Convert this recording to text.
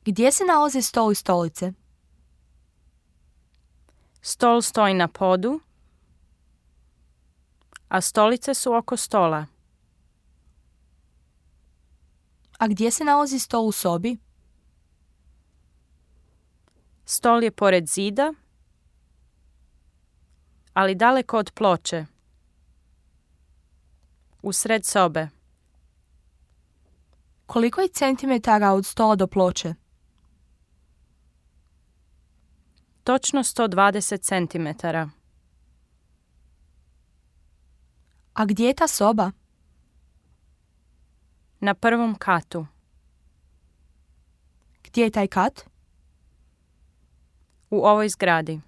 Gdje se nalaze stol i stolice? Stol stoji na podu, a stolice su oko stola. A gdje se nalazi stol u sobi? Stol je pored zida, ali daleko od ploče. Usred sobe. Koliko je centimetara od stola do ploče? Točno 120 centimetara. A gdje je ta soba? Na prvom katu. Gdje je taj kat? U ovoj zgradi.